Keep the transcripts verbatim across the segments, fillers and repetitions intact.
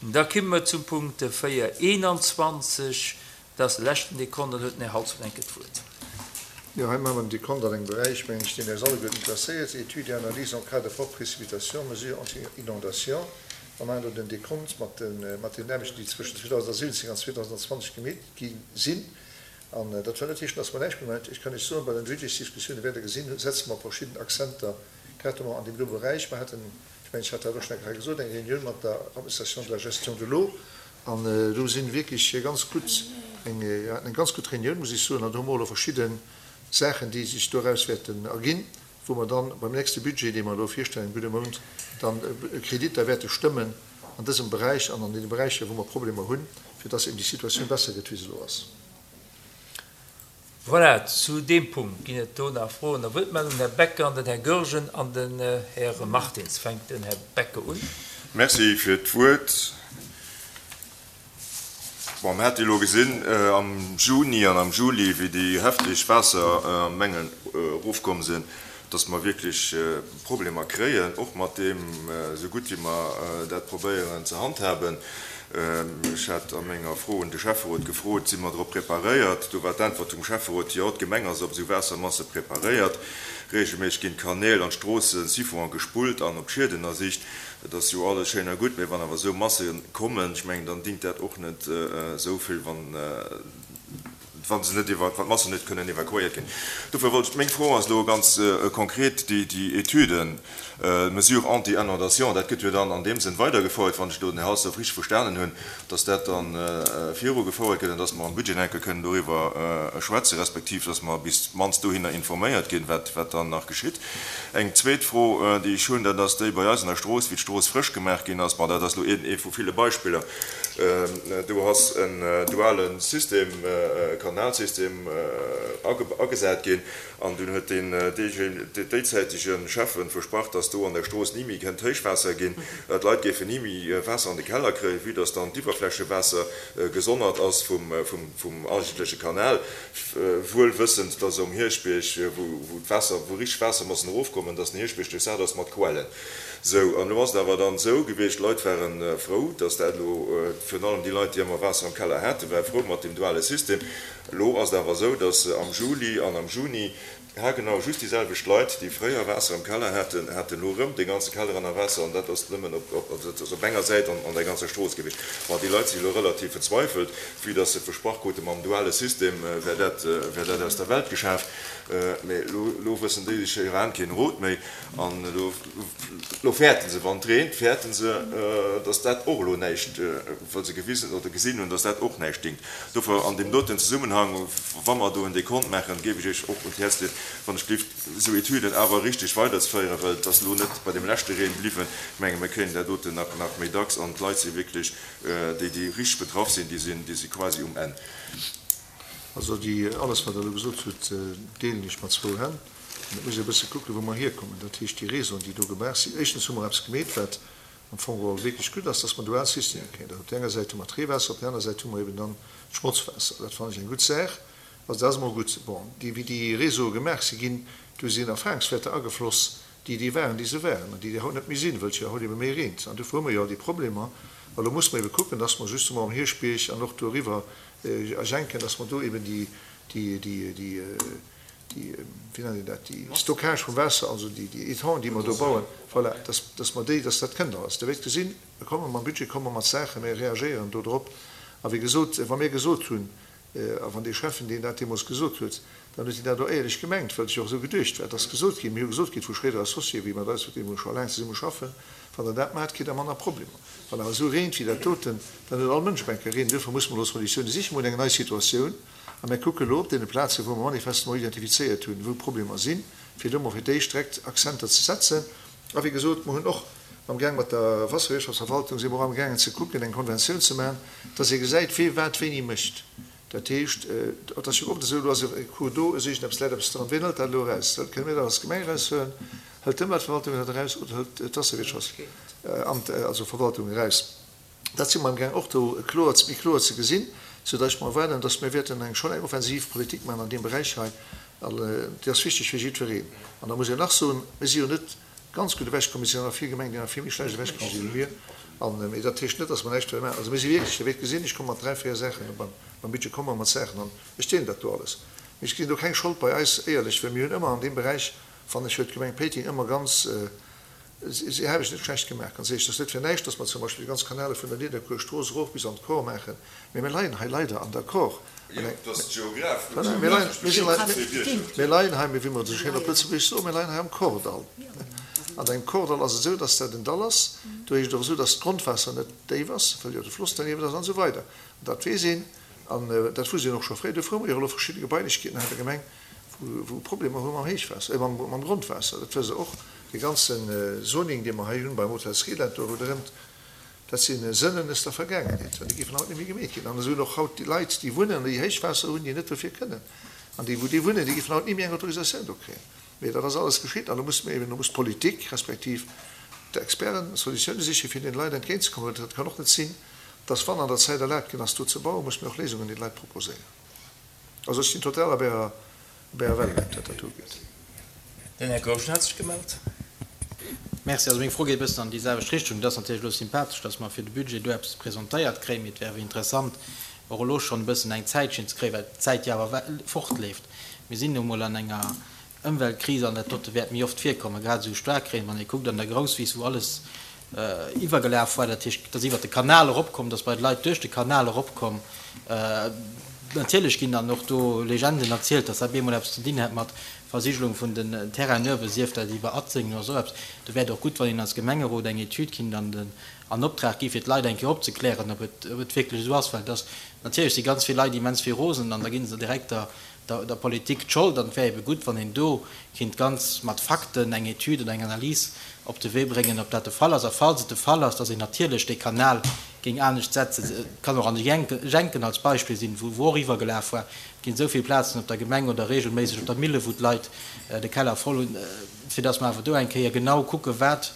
Da komme mer zum Punkt véier eenanzwanzeg, dat ass de leschten Dekont, an do huet den Här Halsdorf eng Kéier d'Wuert. Jo, hei maache mer en Dekont an engem Beräich, mengen ech, deen eis alleguerten interesséiert, Études et analyses en cas de fortes précipitations, mesures anti-inondation. Mer maachen do den Dekont mat den Aarbechten, déi zwëschen zweedausendsiwwenzéng an zweedausendenzwanzeg gemeet gi sinn. An dat wëll net heeschen, dass mer näischt méi maachen. Ech kann Iech soen, bei den Budgetsdiskussiounen, wäert Der gesinn, setze mer verschidden Akzenter grad elo an deem do Beräich. Mer haten, ech mengen, ech hat dat och schonn eng Kéier hei gesot, eng Reunioun mat der Administration de la gestion de l'eau. An do si wierklech ganz gutt, eng, haten eng ganz gutt Reunioun, muss ech soen, an do hu mer och elo verschidde Saachen, déi sech doraus wäerten erginn, wou mer dann beim nächste Budget, dee mer elo virstellen am gudde Mount, dann Kreditter wäerte stëmmen an dësem Beräich an an deene Beräicher, wou mer Problemer hunn, fir dass eben déi Situatioun besser gëtt, wéi se elo ass. Voilà, zu deem Punkt ginn et do nach Froen a Wuertmeldungen. Den Här Becker an den Här Goergen an den Här Martins. Fänkt den Här Becker un. Merci fir d'Wuert. Bon, mir hate jo elo gesinn am Juni an am Juli, wéi déi hefteg Waassermengen erofkomm sinn, dass mer wierklech Problemer kréien, och mat deem, esou gutt wéi mer dat probéieren ze handhaben. Ech hat a menger Fro un de Schäfferot gefrot, Si mer drop preparéiert? Do war d'Äntwert vum Schäfferot, Jo, d'Gemeng ass op esou Waassermasse preparéiert. Reegelméisseg ginn d'Kanäl an d'Stroosse Siphon gespullt an op d'Schied ënnersicht. Dat ass jo alles schéin a gutt, mä wann awer esou Masse kommen, ech mengen, dann dingt dat och net esou vill, wann wa se net iwwer, wann d'Massen net kënnen evakuéiert ginn. Dofir wollt ech, meng Fro ass elo ganz konkret, déi, déi Etüden, Mesures anti-inondation, dat gëtt jo dann an deem Sënn weidergefouert, wann ech elo den Här Halsdorf richteg verstanen hunn, dass dat da virugefouert gëtt an dass mer am Budget enke kënnen doriwwer schwätzen, respektiv dass mer bis d'mannst dohinner informéiert ginn, wat, wat dann nach geschitt. Eng zweet Fro, déi ech hunn, dat ass déi bei eis an der Strooss, wéi d'Strooss frësch gemaach ginn ass. Bon, dat ass elo een, ee vu ville Beispiller. Do ass en duale System, Kanalsystem agesat ginn an dunn huet deen déizäitege Schäffen versprach, dass do an der Strooss ni méi kënnt Héichwaasser ginn, d'Leit géifen ni méi Waasser an de Keller kréien, vue dass dann d'Iwwerflächewaasser gesonnert ass vum eigentleche Kanal, wuel wëssend, dass um Hierschbierg, wou d'Waasser, wou richteg Waassermassen erofkommen, dass den Hierschbierg duerchsat ass mat Quellen. Sou, an elo ass et awer dann esou gewiescht, d'Leit ware frou, dass dat elo, virun allem déi Leit, déi ëmmer Waasser am Keller haten, ware frou mat deem duale System. Elo ass et awer esou, dass am Juli an am Juni haargenau just déi selwecht Leit, déi fréier Waasser am Keller haten, haten elo erëm de ganze Keller ënner Waasser, an dat ass nëmmen op, also dat ass op enger Säit an an der ganzer Strooss gewiescht. Bon, déi Leit si elo relativ verzweifelt, vue dass se versprach kruten, mam duale System wär dat, wär dat aus der Welt geschaf. Mä elo, elo wëssen déi sech hiran keen Rot méi. An elo, elo fäerten se, wann et reent, fäerten se, datt dat och elo näischt, well se gewisen oder gesinn hunn, datt dat och näischt dingt. Dofir an deem doten Zesummenhang, wa mer do en Dekont maachen, géif ech Iech och un d'Häerz leeën, wann ech gelift, esou Etüden awer richteg weiderzeféieren, well et ass elo net bei deem leschte Reen bliwwen. Ech menge mir kréien dat doten nach, nach méi dacks an d'Leit si wierklech, déi, déi richteg betraff sinn, déi sinn, déi si quasi um Enn. Also déi, alles wat Der elo gesot hutt, deelen ech mat zwou Hänn. An et muss ee e bësse kucken, wou mer hierkommen. Dat heescht, déi Réseauen, déi do gemaach sinn, éischtens hu mer eppes gemeet, wat am Fong geholl wierklech gutt ass, dass mer dual Systemer kréien. Dat op där enger Säit hu mer d'Reewaasser, op där aner Säit hu mer eben dann d'Schmotzwaasser. Dat fannen ech eng gutt Saach. Also dat ass emol gutt. Bon, déi, wéi déi Réseaue gemaach si ginn, do sinn Erfahrungswäerter agefloss, déi déi waren, déi se waren an déi déi haut net méi sinn, wëll et jo haut ebe méi reent. An dofir hu mer jo all déi Problemer. A lo musse mer ebe kucken, dass mer justement um Hierschbierg an och doriwwer a Jenken, dass mer do eben déi, déi, déi, déi, déi, wéi nennt een dat, déi Stockage vum Waasser, also déi, déi Étangen, déi mer do bauen, voilà, dass, dass mer déi, dass dat kënnt alles. Der wäert gesinn, mir komme mam Budget, komme mer mat Saachen, mir reagéieren do drop. A wéi gesot, wa mir gesot hunn, a wann dee Schäffen, deen dat deemools gesot huet, dann huet hien dat och éierlech gemengt, well et jo och esou geduecht war. Et ass gesot ginn, mir hu gesot kritt vu Schréider Associés, wéi mat eis, mat deem mer scho laang zesumme schaffen, Wann Der dat maacht, kritt Der manner Problemer. Wann awer esou reent wéi dat doten, dann huet all Mënsch op eng Kéier Reen. Duerfir musse mer elo Solutioune sichen. Mer hunn eng nei Situatioun a mir kucke elo op deene Plazen, wou mer manifestement identifizéiert hunn, wou Problemer sinn, fir do mol fir d'éischt direkt Akzenter ze setzen. A wéi gesot, mer hunn och amgaang mat der Wasserwirtschaftsverwaltung si mer och amgaangen ze kucken, eng Konventioun ze maachen, dass ee gesäit, wee wat wéini mécht. Dat heescht, et ass jo oft esou, elo ass e Cours d'eau, es iergendeppes läit eppes dran, wien hëlt dat elo eraus? Kënne mir dat als Gemeng eraushuelen? Hëlt d'Ëmweltverwaltung dat eraus oder hëlt d'Wasserwirtschaftsamt, also Verwaltung eraus? Dat si mer amgaang och do kloer, méi kloer ze gesinn, soudatt ech mer erwaarden, datt mir wäerten eng schonn eng offensiv Politik maachen an deem Beräich hei. An déi ass wichteg fir jiddwereen. An da muss een nach soen, mir si jo net ganz gutt ewechkomm, et sinn nach vill Gemengen, déi nach vill méi schlecht ewechkomm sinn wéi mir. An, mee dat heescht net, dass mer näischt wëlle maachen. Also mir si wierklech, Dir wäert gesinn, ech komme mat dräi, véier Saachen, beim, beim Budget komme mer mat Saachen an ech deelen dat do alles. Mee ech gesinn do keng Schold bei eis, éierlech, well mir hunn ëmmer an deem Beräich, fannen ech, huet d'Gemeng Péiteng ëmmer ganz, si habe ech net schlecht gemaach, ganz éierlech. Et ass net fir näischt, dass mer zum Beispill déi ganz Kanale vun der Nidderkuer Strooss erof bis an d'Kor maachen, mee mir leien hei leider an der Kor. Jo, et ass d'Geograph, Voilà, mir leien, mir sinn hei, mir leien hei, wéi mer esou schéin op Lëtzebuergesch soen, mir leien hei am Kordall. An engem Kordall ass et esou, dass dat en Dall ass. Do heescht et och esou, dass d'Grondwaasser net déif ass, well jo de Floss derniewent ass an esou weider. An dat weess een an dat wusst een och scho fréi. Dofir hu mer jo elo verschidde Gebailechkeeten hei an der Gemeng, wou wou Problemer hu mam Héichwaasser, mam mam Grondwaasser. Dat wësst Der och. Dee ganze Zoning, dee mer hei hunn beim Hotel Sriland do ronderëmt, dat si Sënnen aus der Vergaangenheet, well déi géifen haut net méi gemeet ginn. An esou hunn och haut déi Leit, déi wunnen an déi Héichwaasser hunn, déi net dofir kënnen. An déi, wou déi wunnen, déi géifen haut ni méi eng Autorisatioun do kréien. Mee dat ass alles geschitt an do musse mir eben, do muss d'Politik respektiv d'Experten Solutioune sichen, fir deene Leit entgéintzekommen. Well et kann och net sinn, dass, wann an der Zäit erlaabt ginn ass, do ze bauen, musse mir och Léisungen deene Leit proposéieren. Also ech sinn total op Ärer, op Ärer Wellenlängt, wat dat ugeet. Den Här Goergen hat sech gemellt. Merci. Also meng Fro geet e bëssen an déi selwecht Richtung. Et ass natierlech elo sympathesch, dass mer fir de Budget do eppes presentéiert kréien, mee et wär awer interessant, och elo schonn e bëssen eng Zäitschinn ze kréien, well d'Zäit jo awer fortleeft. Mir sinn nu emol an enger Ëmweltkris an dat dote wäert méi oft virkommen, grad esou Staarkreen, wann ee kuckt an der Grousswiss, wou alles iwwergelaf war, dat heescht, et ass iwwert de Kanal eropkomm, et ass bei de Leit duerch de Kanal eropkomm. Natierlech ginn dann och do Legenden erzielt, dass dat bemol eppes ze dinn hätt mat Versigelung vun den Terrainen uewe, sief dat iwwer Atzengen oder esou eppes. Do wär et och gutt, wann een als Gemengerot eng Etüd kinnt an den an Optrag gi fir d'Leit eng Kéier opzeklären, ob et ob et wierklech esou ass, well et ass natierlech si ganz vill Leit immens vill rosen an da gi se direkt der der Politik d'Schold an et wär ebe gutt, wann een do kinnt ganz mat Fakten eng Etüd oder eng Analys op de Wee bréngen, ob dat de Fall ass. A falls et de Fall ass, dass een natierlech dee Kanal géing anescht setzen, et kann och an de Jenken als Beispill sinn, wou och iwwergelaf war, et ginn esou vill Plazen op der Gemeng oder regelméisseg op der Mille, wou d'Leit de Keller voll hunn, fir dass mer awer do eng Kéier genau kucken, wat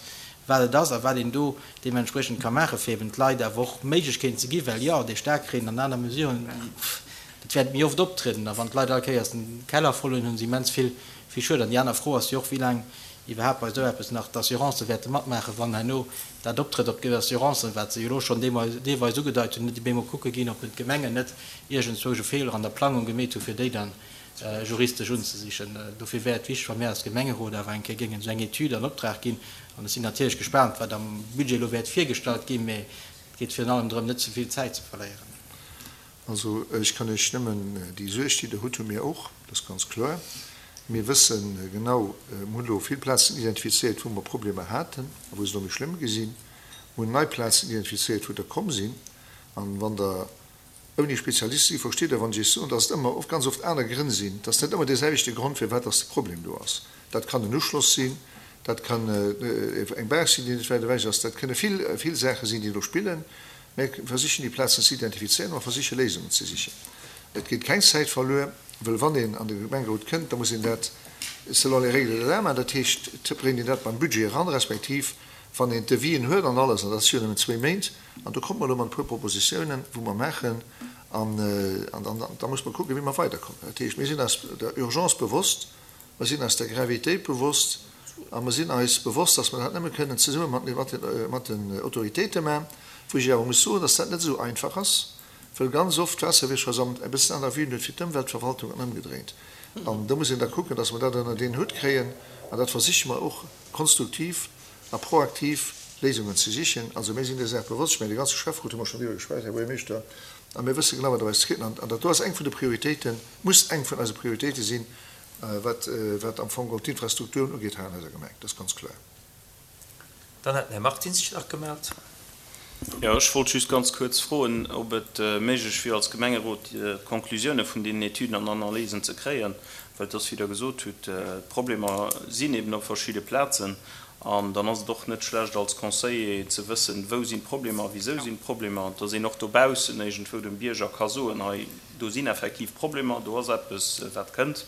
wat et ass a wat een do deementspriechend ka maachen, fir eben d'Leit awer och Méiglechkeeten ze ginn, well jo, dee Staarkreen an aner Mesuren, dat wäert méi oft optrieden. A wann d'Leit all Kéiers den Keller voll hunn, hu se immens vill vill Schued. An déi aner Fro ass jo och, wéi laang iwwerhaapt bei esou eppes nach d'Assurancë wäerte matmaachen, wann herno dat optrëtt, ob d'Assurancen, wat se jo elo schonn deelweis ugedeit hunn, net op eemol kucke ginn, ob d'Gemengen net iergendzwousch e Feeler an der Plangung gemeet hu fir déi dann juristesch unzesichen. Dofir wär et wichteg, wa mir als Gemengerot awer eng Kéier géingen esou eng Etüd an Optrag ginn. An ech sinn natierlech gespaant, wat am Budget elo wäert virgestallt ginn, mä et geet virun allem drëm, net ze vill Zäit ze verléieren. Also ech kann Iech nëmmen déi Suerg, déi Der hutt, hu mir och, dat ass ganz kloer. Mir wësse genau, mir hunn elo vill Plazen identifizéiert, wou mer Problemer haten a wou se elo méi schlëmm gi sinn. Mir hunn nei Plazen identifizéiert, wou der komm sinn. An wann Der ouni Spezialist si, versteet Der, wann ech Iech soen, dass et ëmmer, oft, ganz oft aner Grënn sinn, dass net ëmmer deeselwechte Grond, firwat dass de Problem do ass. Dat kann en Uschloss sinn, dat kann eng Baach sinn, déi net wäit ewech ass, dat kënne vill, vill Saache sinn, déi do spillen. Mir versichen déi Plazen ze identifizéieren, mer versiche Léisungen ze sichen. Et geet keng Zäit verluer, wëll wann een an de Gemengerot kënnt, da muss een dat selon les règles de l'art maachen, dat heescht, et bréngt een dat beim Budget eran, respektiv wann een d'Devisen huet an alles, an dat si jo nëmmen zwee Méint, an do komme mer elo mat e puer Propositiounen, wou mer maachen, an da muss mer kucken, wéi mer weiderkommen. Dat heescht, mir sinn eis der Urgence bewosst, mer sinn eis der Gravitéit bewosst a mer sinn eis bewosst, dass mer dat nëmme kënnen zesumme mat den Autoritéite maachen, wou ech awer muss soen, dass dat net esou einfach ass, wëll ganz oft d'Waasserwirtschaftsamt e bëssen aner Vuen huet wéi d'Ëmweltverwaltung an ëmgedréint. An do muss een da kucken, dass mer dat ënnert een Hutt kréien, an dat versiche mer och konstruktiv a proaktiv Léisungen ze sichen. Also mir sinn där Saach bewosst. Ech mengen, de ganze Schäfferot hu mer schonn driwwer geschwat, Här Buergermeeschter, a mir wësse genau, wat op eis zukënnt. An dat do ass eng vun de Prioritéiten, muss eng vun eise Prioritéite sinn, wat, wat am Fong geholl d'Infrastrukturen ugeet hei an eiser Gemeng. Dat ass ganz kloer. Dann hätt den Här Martins sech nach gemellt. Jo, ech wollt just ganz kuerz froen, ob et méiglech wier, als Gemengerot d'Conclusioune vun deenen Etüden an Analysen ze kréien, well et ass, wéi Der gesot hutt, d'Problemer sinn eben op verschidde Plazen. An dann ass et och net schlecht, als Conseiller ze wëssen, wou sinn d'Problemer, wisou sinn d'Problemer, dass een och dobaussen iergendwou dem Bierger ka soen, hei, do sinn effektiv Problemer, do ass eppes, wat kënnt,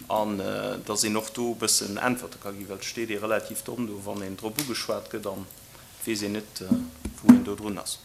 an dass een och do e bëssen Äntwerte ka ginn, well et steet ee relativ domm do, wann een drop ugeschwat gëtt an et weess een net, wou een do drun ass.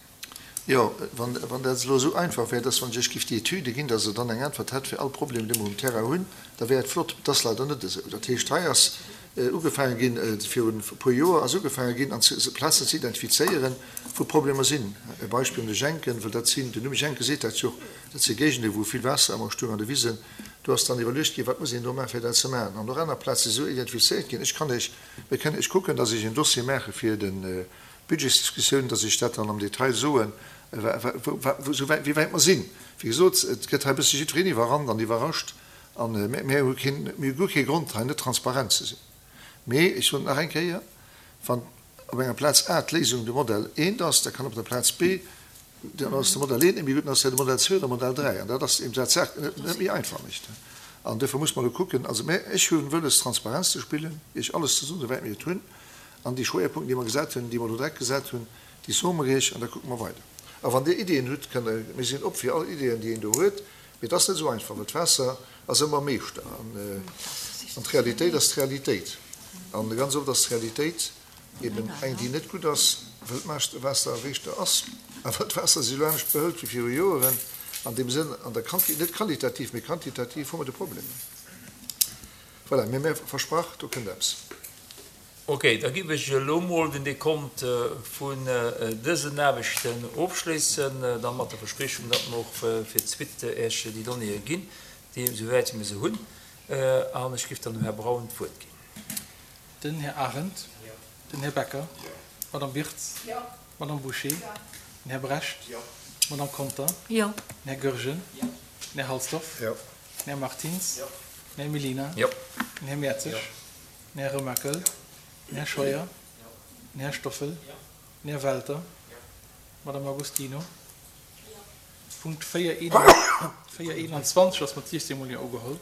Jo, wann dat elo esou einfach wär, dass wann ech Iech giff déi Etüde ginn, dass Der dann eng Äntwert hätt fir all Problem, dee mer um Terrain hunn, da wär et flott. Et ass leider net esou. Dat heescht, hei ass ugefaange ginn, virun e puer Joer ass ugefaange ginn, an Plazen ze identifizéieren, wou Problemer sinn. E Beispill un de Jenken, well dat sinn, den Numm Jenke seet dat jo och, dat si Géigende wou vill Waasser ëmmer stoung an de Wisen. Do ass dann iwwerluecht ginn, wat muss een do maachen, fir dat ze maachen. An och aner Plaze si sou identifizéiert ginn. Ech kann Iech, mir kënnen Iech kucken, dass ech en Dossier maache fir de Budgetsdiskussioun, dass ech dat dann am Detail soen, wéi wäit mer sinn. Wéi gesot, et gëtt hei e bësse jiddwereen iwwerrannt an iwwerrascht a mir hu keen, mir hu guer kee Grond, hei net transparent ze sinn. Mee ech soen et nach eng Kéier, Wann op enger Plaz A d'Léisung de Modell eent ass, da kann op der Plaz B, dann ass de Modell eent net méi gutt, dann ass dat de Modell zwee oder Modell dräi. An dat ass eben dat d'Saach net méi einfach mécht. An duerfir muss mer elo kucken, also mä ech hu wëlles Transparenz ze spillen, Iech alles ze soen, esouwäit mir et hunn, an déi Schwéierpunkten, déi mer gesat hunn, déi mer elo direkt gesat hunn, déi soe mer Iech an da kucke mer weider. A wann Dir Iddien hutt, kënnt Der, mir sinn op fir all Iddien, déi een do huet, mee et ass net esou einfach, well d'Waasser ass ëmmer Meeschter an d'Realitéit ass d'Realitéit. An ganz oft ass d'Realitéit eben eng, déi net gutt ass, well d'Waasser erreechter ass a well d'Waasser sech elo anescht behëlt wéi viru Joeren. An deem Sënn, an der Quanti-, net qualitativ, mee quantitativ hu mer de Problem. Voilà, mee mä versprach, do kënnt eppes. Ok, da giff ech elo mol den Dekont vun dësen Aarbechten ofschléissen, dann mat der Verspriechung, datt mer och fir d'Suite Iech déi Donnéeë ginn, déi, esouwäit mir se hunn. An ech giff dann dem Här Braun d'Wuert ginn. Den Här Arendt. Den Här Becker. D'Madame Wirtz. D'Madame Bouché. Den Här Brecht. D'Madame Conter. Den Här Goergen. Den Här Halsdorf. Den Här Martins. Den Här Mellina. Den Här Mertzig. Den Här Remakel. Den Här Scheuer. Den Här Stoffel. Den Här Welter. D'Madame Agostino. Punkt véier eenanzwanzeg ass mat siechzéng mol Jo ugeholl.